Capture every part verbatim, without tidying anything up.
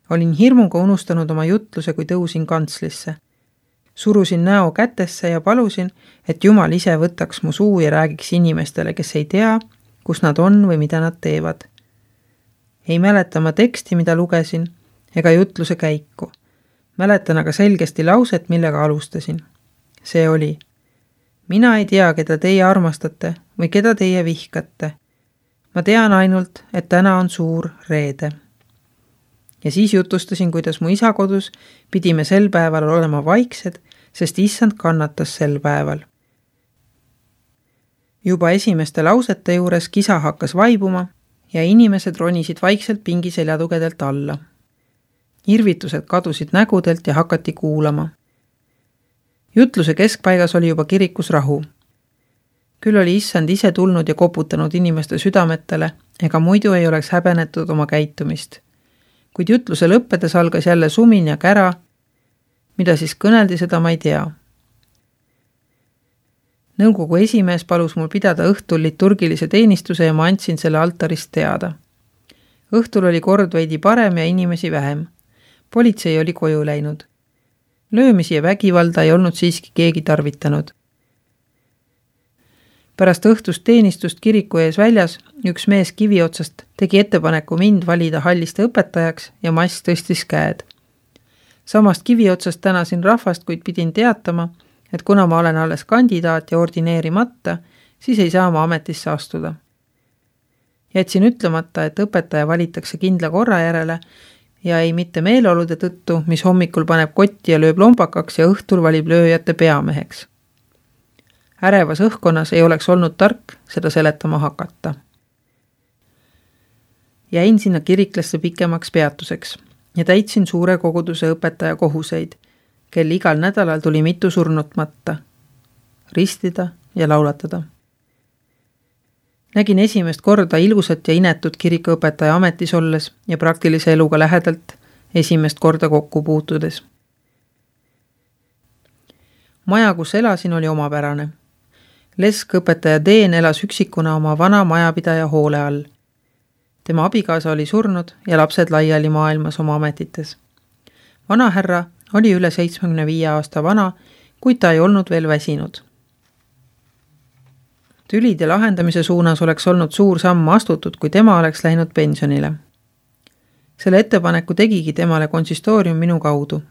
Olin hirmuga unustanud oma jutluse, kui tõusin kantslisse. Surusin näo kätesse ja palusin, et Jumal ise võtaks mu suu ja räägiks inimestele, kes ei tea, kus nad on või mida nad teevad. Ei mäleta ma teksti, mida lugesin, ega jutluse käiku. Mäletan aga selgesti lauset, millega alustasin. See oli: mina ei tea, keda teie armastate või keda teie vihkate. Ma tean ainult, et täna on suur reede. Ja siis jutustasin, kuidas mu isa kodus pidime sel päeval olema vaiksed, sest issand kannatas sel päeval. Juba esimeste lausete juures kisa hakkas vaibuma ja inimesed ronisid vaikselt pingi seljatugedelt alla. Irvitused kadusid nägudelt ja hakati kuulama. Jutluse keskpaigas oli juba kirikus rahu. Küll oli issand ise tulnud ja koputanud inimeste südametele, ega muidu ei oleks häbenetud oma käitumist. Kuid jutluse lõppedes algas jälle sumin ja kära, mida siis kõneldi, seda ma ei tea. Nõukogu esimees palus mul pidada õhtul liturgilise teenistuse ja ma andsin selle altarist teada. Õhtul oli kord veidi parem ja inimesi vähem. Politsei oli koju läinud. Löömisi ja vägivalda ei olnud siiski keegi tarvitanud. Pärast õhtust teenistust kiriku ees väljas üks mees kivi otsast tegi ettepaneku mind valida halliste õpetajaks ja mass tõstis käed. Samast kivi otsast tänasin rahvast, kuid pidin teatama, et kuna ma olen alles kandidaat ja ordineerimata, siis ei saa ma ametisse astuda. Jätsin ütlemata, et õpetaja valitakse kindla korra järele ja ei mitte meeleolude tõttu, mis hommikul paneb kotti ja lööb lompakaks ja õhtul valib lööjate peameheks. Ärevas õhkkonnas ei oleks olnud tark seda seletama hakata. Jäin sinna kiriklasse pikemaks peatuseks ja täitsin suure koguduse õpetaja kohuseid, kel igal nädalal tuli mitu surnut matta, ristida ja laulatada. Nägin esimest korda ilusat ja inetut kirikuõpetaja ametis olles ja praktilise eluga lähedalt esimest korda kokku puutudes. Maja, kus elasin, oli omapärane. Leskõpetaja Deen elas üksikuna oma vana majapidaja hoole all. Tema abikaasa oli surnud ja lapsed laiali maailmas oma ametites. Vanahärra oli üle seitsmekümne viie aasta vana, kuid ta ei olnud veel väsinud. Tülide lahendamise suunas oleks olnud suur samm astutud, kui tema oleks läinud pensionile. Selle ettepaneku tegigi temale konsistoorium minu kaudu.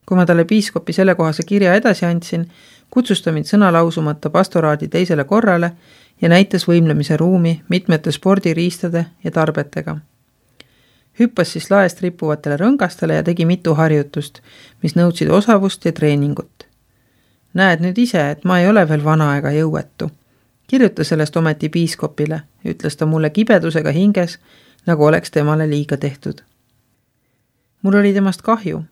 Kui ma talle piiskopi sellekohase kirja edasi andsin, kutsus ta mind sõnalausumata pastoraadi teisele korrale ja näitas võimlemise ruumi mitmete spordiriistade ja tarbetega. Hüppas siis laest rippuvatele rõngastele ja tegi mitu harjutust, mis nõudsid osavust ja treeningut. Näed nüüd ise, et ma ei ole veel vana ega jõuetu. Kirjuta sellest ometi piiskopile, ütles ta mulle kibedusega hinges, nagu oleks temale liiga tehtud. Mul oli temast kahju.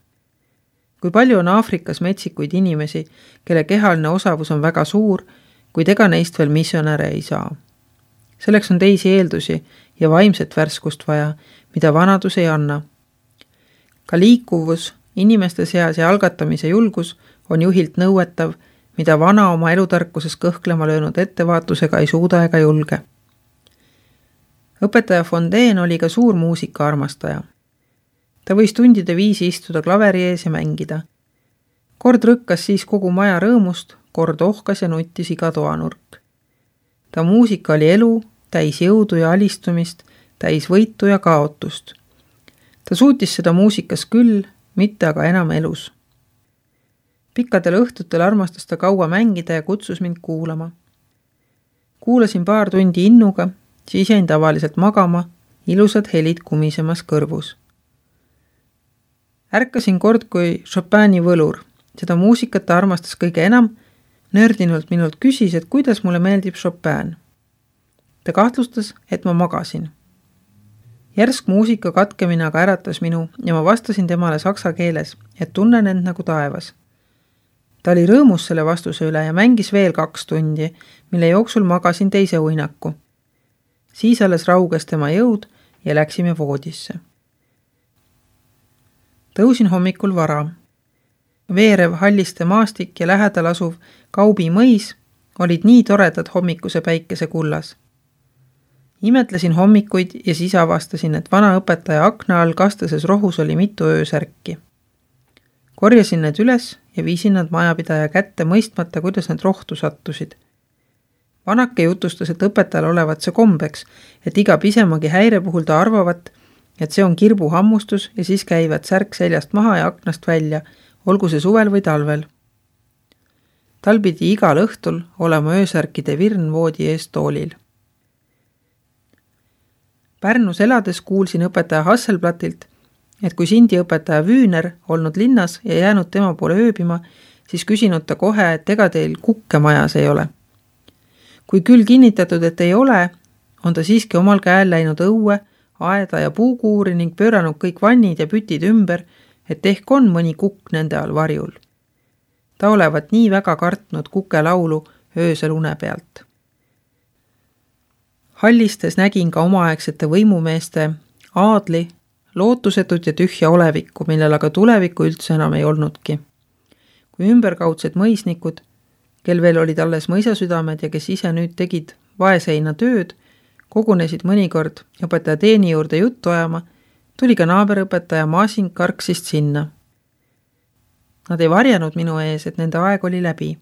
Kui palju on Aafrikas metsikuid inimesi, kelle kehaline osavus on väga suur, kuid ega neist veel missionäre ei saa. Selleks on teisi eeldusi ja vaimset värskust vaja, mida vanadus ei anna. Ka liikuvus, inimeste seas ja algatamise julgus on juhilt nõuetav, mida vana oma elutarkuses kõhklema löönud ettevaatusega ei suuda ega julge. Õpetaja Fondeen oli ka suur muusika armastaja. Ta võis tundide viisi istuda klaveri ees ja mängida. Kord rõkkas siis kogu maja rõõmust, kord ohkas ja nuttis iga toanurk. Ta muusika oli elu, täis jõudu ja alistumist, täis võitu ja kaotust. Ta suutis seda muusikas küll, mitte aga enam elus. Pikkadel õhtutel armastas ta kaua mängida ja kutsus mind kuulama. Kuulasin paar tundi innuga, siis jäin tavaliselt magama, ilusad helid kumisemas kõrvus. Ärkasin kord kui Chopini võlur. Seda muusikat ta armastas kõige enam, nördinult minult küsis, et kuidas mulle meeldib Chopin. Ta kahtlustas, et ma magasin. Järsk muusika katkemine aga äratas minu ja ma vastasin temale saksa keeles, et tunnen end nagu taevas. Ta oli rõõmus selle vastuse üle ja mängis veel kaks tundi, mille jooksul magasin teise uinaku. Siis alles rauges tema jõud ja läksime voodisse. Tõusin hommikul vara. Veerev halliste maastik ja lähedal asuv Kaubi mõis olid nii toredad hommikuse päikese kullas. Imetlesin hommikuid ja siis avastasin, et vana õpetaja akna all kastases rohus oli mitu öösärki. Korjasin need üles ja viisin nad majapidaja kätte mõistmata, kuidas need rohtu sattusid. Vanake jutustas, et õpetajal olevat see kombeks, et iga pisemagi häire puhul ta arvavat, et see on kirbuhammustus ja siis käivad särk seljast maha ja aknast välja, olgu see suvel või talvel. Tal pidi igal õhtul olema öösärkide virn voodi ees toolil. Pärnus elades kuulsin õpetaja Hasselblatilt, et kui Sindi õpetaja Vüüner olnud linnas ja jäänud tema poole ööbima, siis küsinud ta kohe, et ega teil kukke majas ei ole. Kui küll kinnitatud, et ei ole, on ta siiski omal käel läinud õue, aeda ja puukuuri ning pööranud kõik vannid ja pütid ümber, et ehk on mõni kukk nende all varjul. Ta olevat nii väga kartnud kuke laulu öösel une pealt. Hallistes nägin ka omaaegsete võimumeeste aadli, lootusetut ja tühja olevikku, millel aga tulevikku üldse enam ei olnudki. Kui ümberkaudsed mõisnikud, kel veel olid alles mõisasüdamed ja kes ise nüüd tegid vaeseina tööd, kogunesid mõnikord õpetaja teeni juurde juttu ajama, tuli ka naaberõpetaja Maasing karksist sinna. Nad ei varjanud minu ees, et nende aeg oli läbi.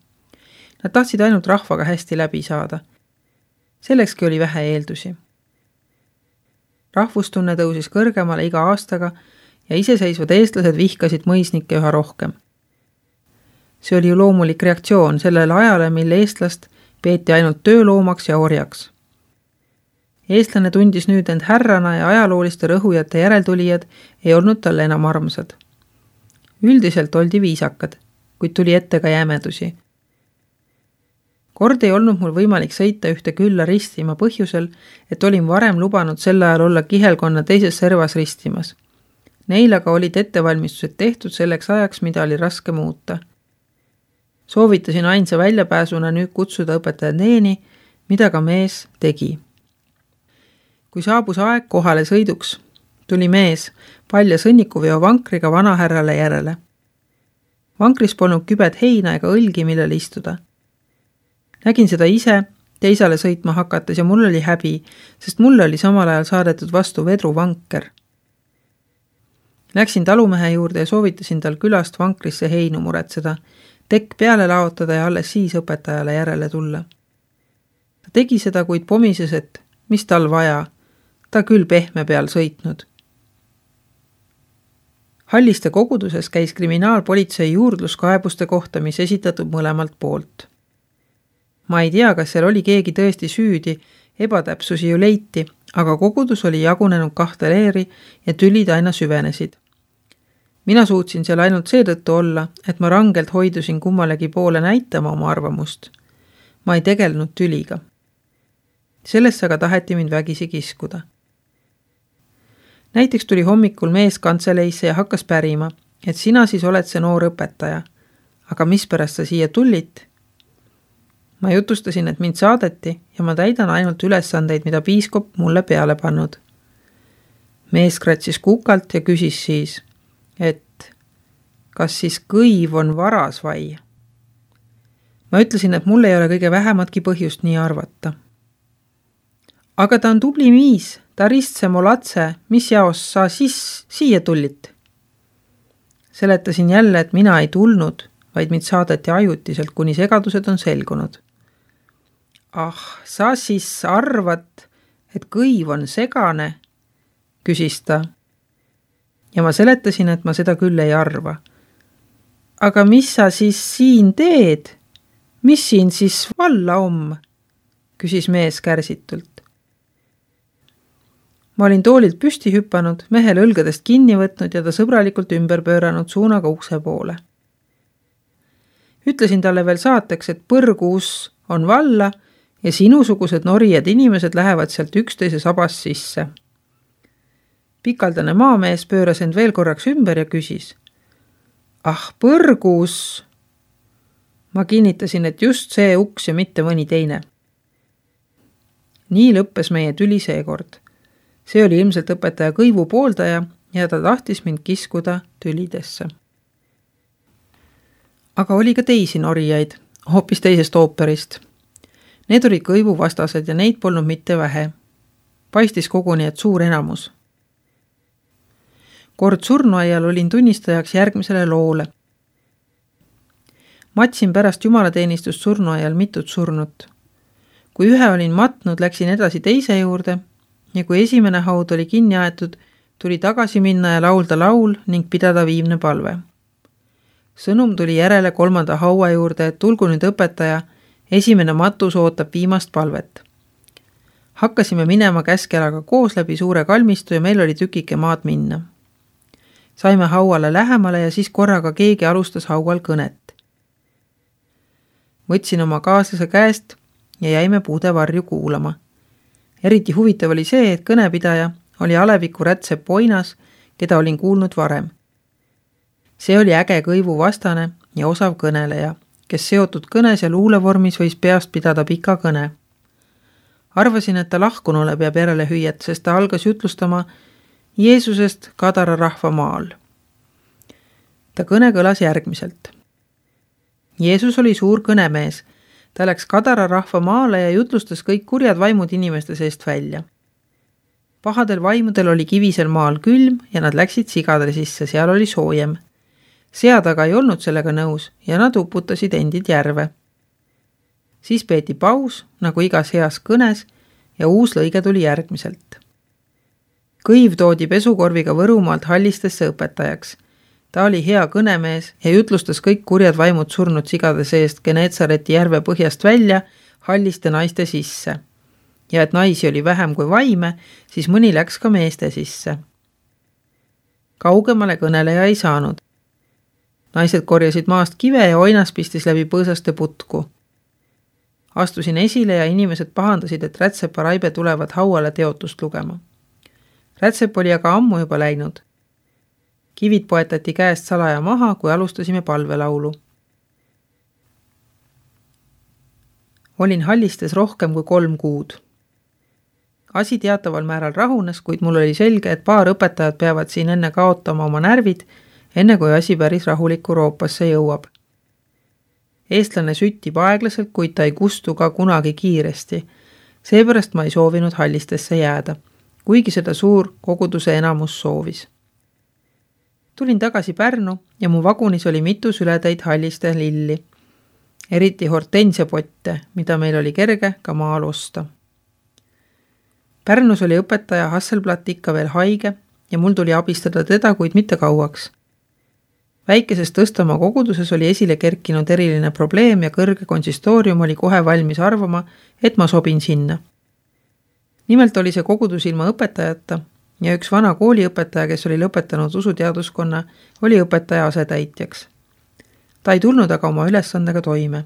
Nad tahtsid ainult rahvaga hästi läbi saada. Sellekski oli vähe eeldusi. Rahvustunne tõusis kõrgemale iga aastaga ja iseseisvad eestlased vihkasid mõisnikke üha rohkem. See oli ju loomulik reaktsioon sellele ajale, mille eestlast peeti ainult tööloomaks ja orjaks. Eestlane tundis nüüd end härrana ja ajalooliste rõhujate järeltulijad ei olnud talle enam armsad. Üldiselt oldi viisakad, kuid tuli ette ka jämedusi. Kord ei olnud mul võimalik sõita ühte külla ristima põhjusel, et olin varem lubanud sel ajal olla kihelkonna teises servas ristimas. Neil aga olid ettevalmistused tehtud selleks ajaks, mida oli raske muuta. Soovitasin ainsa väljapääsuna nüüd kutsuda õpetaja teeni, mida ka mees tegi. Kui saabus aeg kohale sõiduks, tuli mees palja sõnnikuveo vankriga vanahärrale järele. Vankris polnud kübed heina ega õlgi, millel istuda. Nägin seda ise teisale sõitma hakates ja mul oli häbi, sest mulle oli samal ajal saadetud vastu vedruvanker. Läksin talumehe juurde ja soovitasin tal külast vankrisse heinu muretseda, tekk peale laotada ja alles siis õpetajale järele tulla. Ta tegi seda, kuid pomises, et mis tal vaja, ta küll pehme peal sõitnud. Halliste koguduses käis kriminaalpolitsei juurdluskaebuste kohta, mis esitatud mõlemalt poolt. Ma ei tea, kas seal oli keegi tõesti süüdi, ebatäpsusi ju leiti, aga kogudus oli jagunenud kahte leeri ja tülid aina süvenesid. Mina suutsin seal ainult seetõttu olla, et ma rangelt hoidusin kummalegi poole näitama oma arvamust. Ma ei tegelenud tüliga. Sellesse aga taheti mind vägisi kiskuda. Näiteks tuli hommikul mees kantseleisse ja hakkas pärima, et sina siis oled see noor õpetaja. Aga mispärast sa siia tullit? Ma jutustasin, et mind saadeti ja ma täidan ainult ülesandeid, mida piiskop mulle peale pannud. Mees kratsis kukalt ja küsis siis, et kas siis kõiv on varas vai? Ma ütlesin, et mul ei ole kõige vähematki põhjust nii arvata. Aga ta on tubli miis, ta ristse molatse, mis jaos sa siis siia tullit? Seletasin jälle, et mina ei tulnud, vaid mind saadeti ajutiselt, kuni segadused on selgunud. Ah, sa siis arvad, et kõiv on segane, küsis ta. Ja ma seletasin, et ma seda küll ei arva. Aga mis sa siis siin teed? Mis siin siis valla om? Küsis mees kärsitult. Ma olin toolilt püsti hüppanud, mehel õlgadest kinni võtnud ja ta sõbralikult ümber pööranud suunaga ukse poole. Ütlesin talle veel saateks, et põrgus on valla ja sinusugused norijad inimesed lähevad sealt üksteise sabas sisse. Pikaldane maamees pööras end veel korraks ümber ja küsis. Ah, põrgus! Ma kinnitasin, et just see uks ja mitte mõni teine. Nii lõppes meie tüli seekord. See oli ilmselt õpetaja kõivu pooldaja ja ta tahtis mind kiskuda tülidesse. Aga oli ka teisi norijaid, hoopis teisest ooperist. Need olid kõivu vastased ja neid polnud mitte vähe. paistis koguni, et suur enamus. Kord surnuaial olin tunnistajaks järgmisele loole. Matsin pärast jumalateenistust surnuaial mitut surnut. Kui ühe olin matnud, läksin edasi teise juurde ja kui esimene haud oli kinni aetud, tuli tagasi minna ja laulda laul ning pidada viimne palve. Sõnum tuli järele kolmanda haua juurde, et tulgu nüüd õpetaja, esimene matus ootab viimast palvet. Hakkasime minema käskelaga koos läbi suure kalmistu ja meil oli tükike maad minna. Saime hauale lähemale ja siis korraga keegi alustas haual kõnet. Võtsin oma kaaslase käest ja jäime puude varju kuulama. Eriti huvitav oli see, et kõnepidaja oli Aleviku Rätsep Oinas, keda olin kuulnud varem. See oli äge kõivu vastane ja osav kõneleja, kes seotud kõnes ja luulevormis võis peast pidada pika kõne. Arvasin, et ta lahkunule peab järele hüüet, sest ta algas jutlustama Jeesusest Kadara rahva maal. Ta kõne kõlas järgmiselt. Jeesus oli suur kõnemees. Ta läks Kadara rahva maale ja jutlustas kõik kurjad vaimud inimeste seest välja. Pahadel vaimudel oli kivisel maal külm ja nad läksid sigade sisse, seal oli soojem. Sead aga ei olnud sellega nõus ja nad uputasid endid järve. Siis peeti paus, nagu igas heas kõnes, ja uus lõige tuli järgmiselt. Kõiv toodi pesukorviga Võrumaalt Hallistesse õpetajaks. Ta oli hea kõnemees ja jutlustas kõik kurjad vaimud surnud sigade seest Geneetsareti järve põhjast välja Halliste naiste sisse. Ja et naisi oli vähem kui vaime, siis mõni läks ka meeste sisse. Kaugemale kõneleja ei saanud. Naised korjasid maast kive ja Oinas pistis läbi põõsaste putku. Astusin esile ja inimesed pahandasid, et Rätsepa Raibe tulevad hauale teotust lugema. Rätsep oli aga ammu juba läinud. Kivid poetati käest salaja maha, kui alustasime palvelaulu. Olin Hallistes rohkem kui kolm kuud. Asi teataval määral rahunes, kuid mul oli selge, et paar õpetajad peavad siin enne kaotama oma närvid, enne kui asi päris rahulikku Roopasse jõuab. Eestlane süttib aeglaselt, kuid ta ei kustu ka kunagi kiiresti. Seepärast ma ei soovinud Hallistesse jääda, kuigi seda suur koguduse enamus soovis. Tulin tagasi Pärnu ja mu vagunis oli mitu sületäid Halliste lilli, eriti hortensiapotte, mida meil oli kerge ka maal osta. Pärnus oli õpetaja Hasselblatt ikka veel haige ja mul tuli abistada teda, kuid mitte kauaks. Väikeses Tõstamaa koguduses oli esile kerkinud eriline probleem ja kõrge konsistoorium oli kohe valmis arvama, et ma sobin sinna. Nimelt oli see kogudus ilma õpetajata ja üks vana kooliõpetaja, kes oli lõpetanud usuteaduskonna, oli õpetaja asetäitjaks. Ta ei tulnud aga oma ülesandega toime.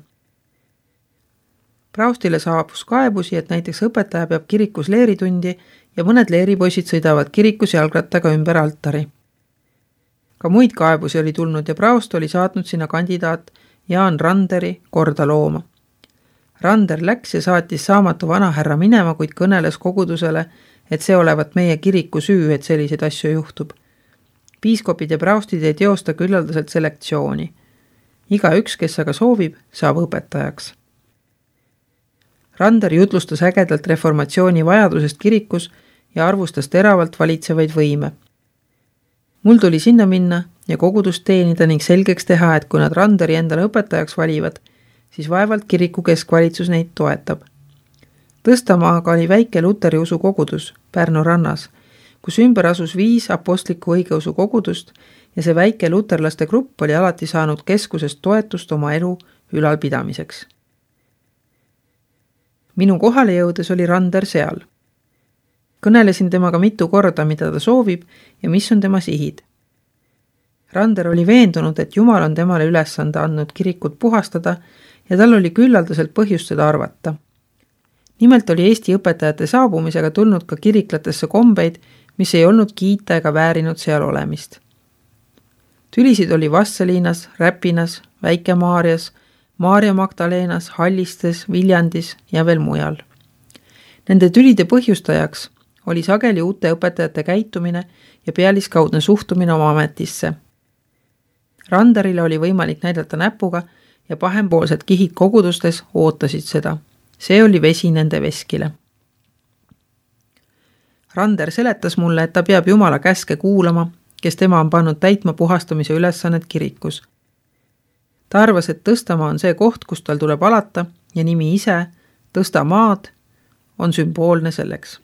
Praustile saabus kaebusi, et näiteks õpetaja peab kirikus leeritundi ja mõned leeripoisid sõidavad kirikus jalgrattaga ümber altari. Ka muid kaebusi oli tulnud ja Praust oli saatnud sinna kandidaat Jaan Randeri korda looma. Rander läks ja saatis saamatu vanahärra minema, kuid kõneles kogudusele, et see olevat meie kiriku süü, et selliseid asju juhtub. Piiskopid ja praustid ei teosta küllaldaselt selektsiooni. Iga üks, kes aga soovib, saab õpetajaks. Rander jutlustas ägedalt reformatsiooni vajadusest kirikus ja arvustas teravalt valitsevaid võime. Mul tuli sinna minna ja kogudust teenida ning selgeks teha, et kui nad Randeri endale õpetajaks valivad, siis vaevalt kiriku keskvalitsus neid toetab. Tõstamaaga oli väike luteri usu kogudus Pärnu rannas, kus ümber asus viis apostliku õigeusu kogudust ja see väike luterlaste grupp oli alati saanud keskusest toetust oma elu ülalpidamiseks. Minu kohale jõudes oli Rander seal. Kõnelesin temaga mitu korda, mida ta soovib ja mis on tema sihid. Rander oli veendunud, et Jumal on temale ülesande andnud kirikut puhastada ja tal oli küllaldaselt põhjust seda arvata. Nimelt oli Eesti õpetajate saabumisega tulnud ka kiriklatesse kombeid, mis ei olnud kiita ega väärinud seal olemist. Tülisid oli Vasseliinas, Räpinas, Väike-Maarjas, Maarja Magdalenas, Hallistes, Viljandis ja veel mujal. Nende tülide põhjustajaks oli sageli uute õpetajate käitumine ja pealiskaudne suhtumine oma ametisse. Randerile oli võimalik näidata näpuga ja pahempoolsed kihid kogudustes ootasid seda. See oli vesi nende veskile. Rander seletas mulle, et ta peab Jumala käske kuulama, kes tema on pannud täitma puhastamise ülesannet kirikus. Ta arvas, et Tõstamaa on see koht, kus tal tuleb alata ja nimi ise, Tõstamaad, on sümboolne selleks.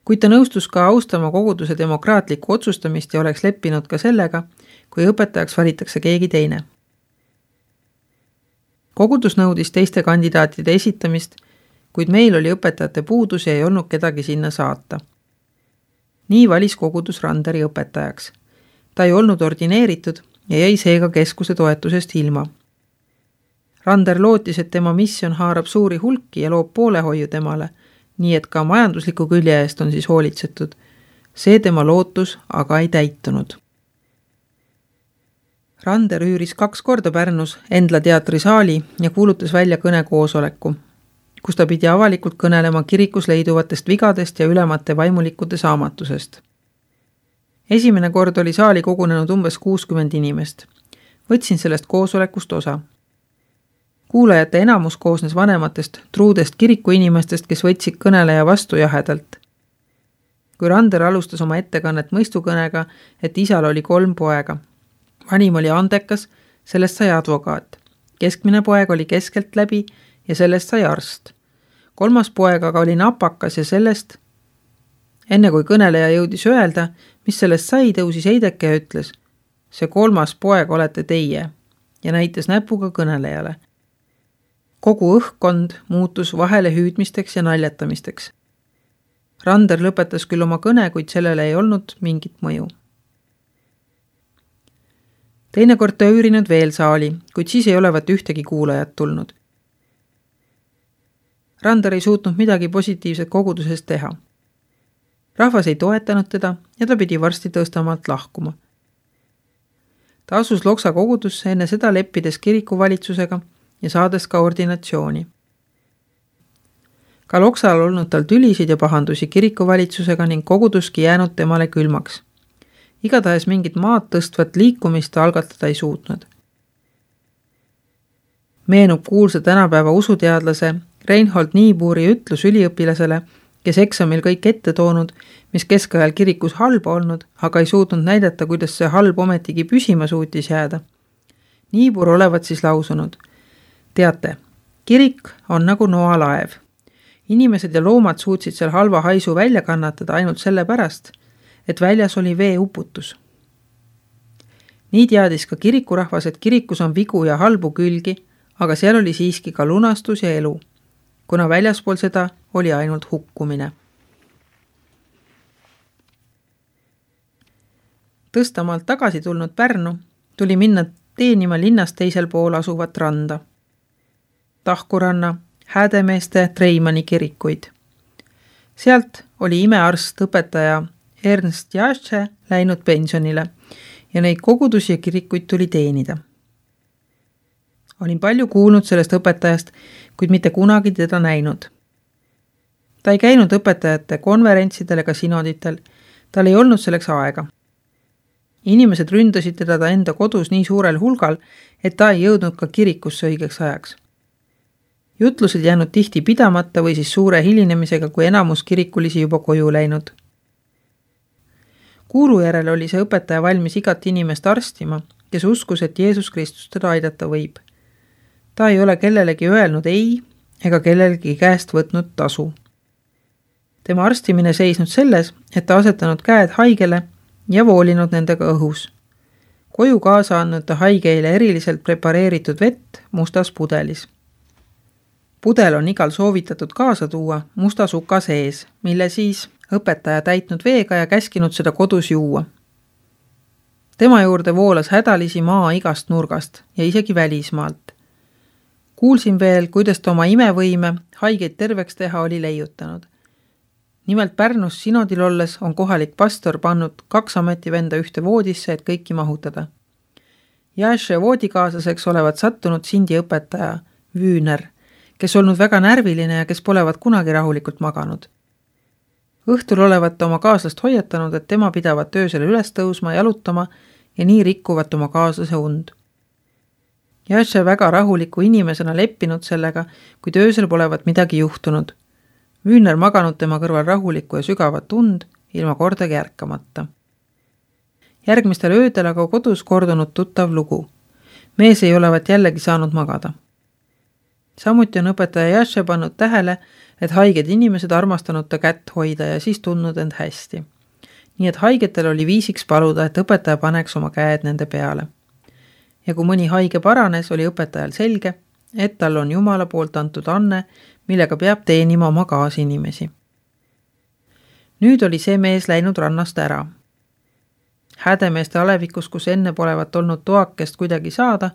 Kuid ta nõustus ka austama koguduse demokraatlikku otsustamist ja oleks leppinud ka sellega, kui õpetajaks valitakse keegi teine. Kogudus nõudis teiste kandidaatide esitamist, kuid meil oli õpetajate puudus ja ei olnud kedagi sinna saata. Nii valis kogudus Randeri õpetajaks. Ta ei olnud ordineeritud ja jäi seega keskuse toetusest ilma. Rander lootis, et tema missioon haarab suuri hulki ja loob poolehoiu temale, nii et ka majandusliku külje eest on siis hoolitsetud. See tema lootus aga ei täitunud. Rander üüris kaks korda Pärnus Endla teatri saali ja kuulutas välja kõnekoosoleku, kus ta pidi avalikult kõnelema kirikus leiduvatest vigadest ja ülemate vaimulikkude saamatusest. Esimene kord oli saali kogunenud umbes kuuskümmend inimest. Võtsin sellest koosolekust osa. Kuulajate enamus koosnes vanematest, truudest kiriku inimestest, kes võtsid kõneleja vastu jahedalt. Kui Rander alustas oma ettekannet mõistukõnega, et isal oli kolm poega. Vanim oli andekas, sellest sai advokaat. Keskmine poeg oli keskelt läbi ja sellest sai arst. Kolmas poeg aga oli napakas ja sellest, enne kui kõneleja jõudis öelda, mis sellest sai, tõusis Heideke ja ütles, see kolmas poeg olete teie ja näitas näpuga kõnelejale. Kogu õhkkond muutus vahele hüüdmisteks ja naljatamisteks. Rander lõpetas küll oma kõne, kuid sellele ei olnud mingit mõju. Teine kord ta üürinud veel saali, kuid siis ei olevat ühtegi kuulajat tulnud. Rander ei suutnud midagi positiivset kogudusest teha. Rahvas ei toetanud teda ja ta pidi varsti Tõstamaalt lahkuma. Ta asus Loksa kogudusse enne seda leppides kirikuvalitsusega ja saades ka ordinatsiooni. Ka Loksal olnud tal tülisid ja pahandusi kirikuvalitsusega ning koguduski jäänud temale külmaks. Igatahes mingit maad tõstvat liikumist algatada ei suutnud. Meenub kuulsa tänapäeva usuteadlase Reinhold Niebuhri ütlus üliõpilasele, kes eksamil kõik ette toonud, mis keskajal kirikus halba olnud, aga ei suutnud näidata, kuidas see halb ometigi püsima suutis jääda. Niibur olevat siis lausunud, teate, kirik on nagu noalaev. Inimesed ja loomad suutsid seal halva haisu välja kannatada ainult selle pärast, et väljas oli veeuputus. Nii teadis ka kirikurahvas, et kirikus on vigu ja halbu külgi, aga seal oli siiski ka lunastus ja elu, kuna väljaspool seda oli ainult hukkumine. Tõstamaalt tagasi tulnud Pärnu tuli minna teenima linnast teisel pool asuvat randa. Tahkuranna, Häädemeeste, Treimani kirikuid. Sealt oli imearst õpetaja Ernst Jasche läinud pensionile ja neid kogudusi ja kirikuid tuli teenida. Olin palju kuulnud sellest õpetajast, kuid mitte kunagi teda näinud. Ta ei käinud õpetajate konverentsidel ega sinoditel, tal ei olnud selleks aega. Inimesed ründasid teda ta enda kodus nii suurel hulgal, et ta ei jõudnud ka kirikusse õigeks ajaks. Jutlused jäänud tihti pidamata või siis suure hilinemisega, kui enamus kirikulisi juba koju läinud. Kuulu järel oli see õpetaja valmis igat inimest arstima, kes uskus, et Jeesus Kristus teda aidata võib. Ta ei ole kellelegi öelnud ei ega kellelegi käest võtnud tasu. Tema arstimine seisnud selles, et ta asetanud käed haigele ja voolinud nendega õhus. Koju kaasa andnud ta haigeile eriliselt prepareeritud vett mustas pudelis. Pudel on igal soovitatud kaasa tuua musta suka sees, mille siis õpetaja täitnud veega ja käskinud seda kodus juua. Tema juurde voolas hädalisi maa igast nurgast ja isegi välismaalt. Kuulsin veel, kuidas ta oma imevõime haigeid terveks teha oli leiutanud. Nimelt Pärnus sinodil olles on kohalik pastor pannud kaks ametivenda ühte voodisse, et kõiki mahutada. Jasche voodikaaslaseks olevat sattunud Sindi õpetaja Vüüner, kes olnud väga närviline ja kes polevat kunagi rahulikult maganud. Õhtul olevat oma kaaslast hoiatanud, et tema pidavat öösel üles tõusma, jalutama ja nii rikkuvat oma kaaslase und. Jasche väga rahuliku inimesena leppinud sellega, kuid öösel polevat midagi juhtunud. Wühner maganud tema kõrval rahulikku ja sügavat und, ilma kordagi ärkamata. Järgmistel öödel aga kodus kordunud tuttav lugu. Mees ei olevat jällegi saanud magada. Samuti on õpetaja Jashe pannud tähele, et haiged inimesed armastanud ta kätt hoida ja siis tundnud end hästi. Nii et haigetel oli viisiks paluda, et õpetaja paneks oma käed nende peale. Ja kui mõni haige paranes, oli õpetajal selge, et tal on Jumala poolt antud anne, millega peab teenima oma kaasinimesi. Nüüd oli see mees läinud rannast ära. Hädemeeste alevikus, kus enne polevat olnud toakest kuidagi saada,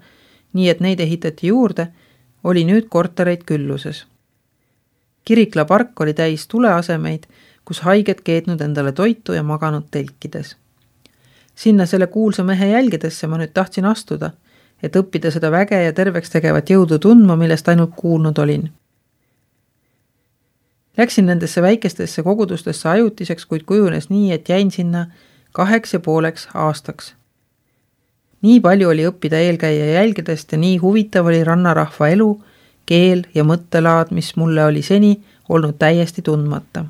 nii et neid ehitati juurde, oli nüüd kortereid külluses. Kirikla park oli täis tuleasemeid, kus haiged keetnud endale toitu ja maganud telkides. Sinna selle kuulsa mehe jälgedesse ma nüüd tahtsin astuda, et õppida seda väge ja terveks tegevat jõudu tundma, millest ainult kuulnud olin. Läksin nendesse väikestesse kogudustesse ajutiseks, kuid kujunes nii, et jäin sinna kaheks ja pooleks aastaks. Nii palju oli õppida eelkäija jälgedest ja nii huvitav oli rannarahva elu, keel ja mõttelaad, mis mulle oli seni olnud täiesti tundmata.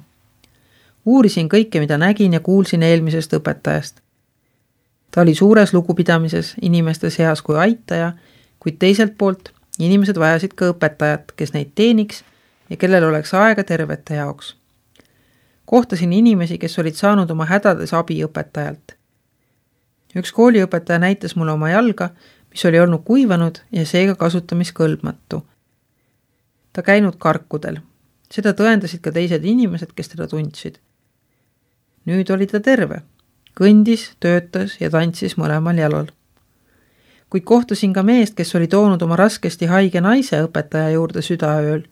Uurisin kõike, mida nägin ja kuulsin eelmisest õpetajast. Ta oli suures lugupidamises inimeste seas kui aitaja, kuid teiselt poolt inimesed vajasid ka õpetajat, kes neid teeniks ja kellel oleks aega tervete jaoks. Kohtasin inimesi, kes olid saanud oma hädades abi õpetajalt. Üks kooliõpetaja näitas mulle oma jalga, mis oli olnud kuivanud ja seega kasutamiskõlbmatu. Ta käinud karkudel. Seda tõendasid ka teised inimesed, kes teda tundsid. Nüüd oli ta terve. Kõndis, töötas ja tantsis mõlemal jalal. Kuid kohtasin ka meest, kes oli toonud oma raskesti haige naise õpetaja juurde südaööl.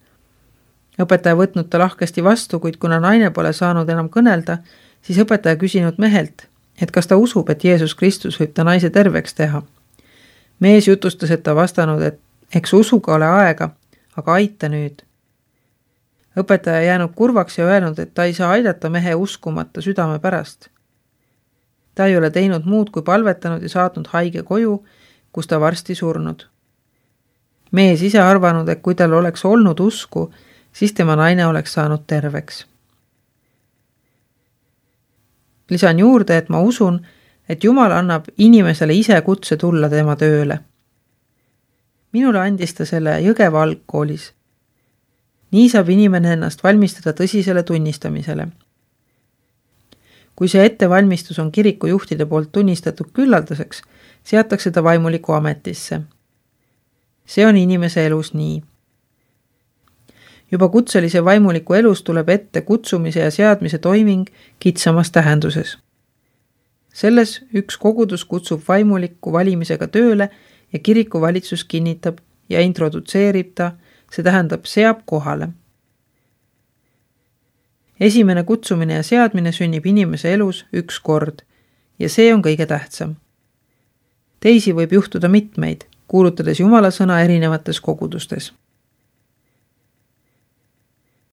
Õpetaja võtnud ta lahkesti vastu, kuid kuna naine pole saanud enam kõnelda, siis õpetaja küsinud mehelt, et kas ta usub, et Jeesus Kristus võib ta naise terveks teha. Mees jutustas, et ta vastanud, et eks usuga ole aega, aga aita nüüd. Õpetaja jäänud kurvaks ja öelnud, et ta ei saa aidata mehe uskumata südame pärast. Ta ei ole teinud muud kui palvetanud ja saatnud haige koju, kus ta varsti surnud. Mees ise arvanud, et kui tal oleks olnud usku, siis tema naine oleks saanud terveks. Lisan juurde, et ma usun, et Jumal annab inimesele ise kutse tulla tema tööle. Minule andis ta selle Jõgeva algkoolis. Nii saab inimene ennast valmistada tõsisele tunnistamisele. Kui see ettevalmistus on kiriku juhtide poolt tunnistatud küllaldaseks, seatakse ta vaimuliku ametisse. See on inimese elus nii. Juba kutselise vaimuliku elus tuleb ette kutsumise ja seadmise toiming kitsamas tähenduses. Selles üks kogudus kutsub vaimuliku valimisega tööle ja kiriku valitsus kinnitab ja introdutseerib ta, see tähendab seab kohale. Esimene kutsumine ja seadmine sünnib inimese elus üks kord ja see on kõige tähtsam. Teisi võib juhtuda mitmeid, kuulutades Jumala sõna erinevates kogudustes.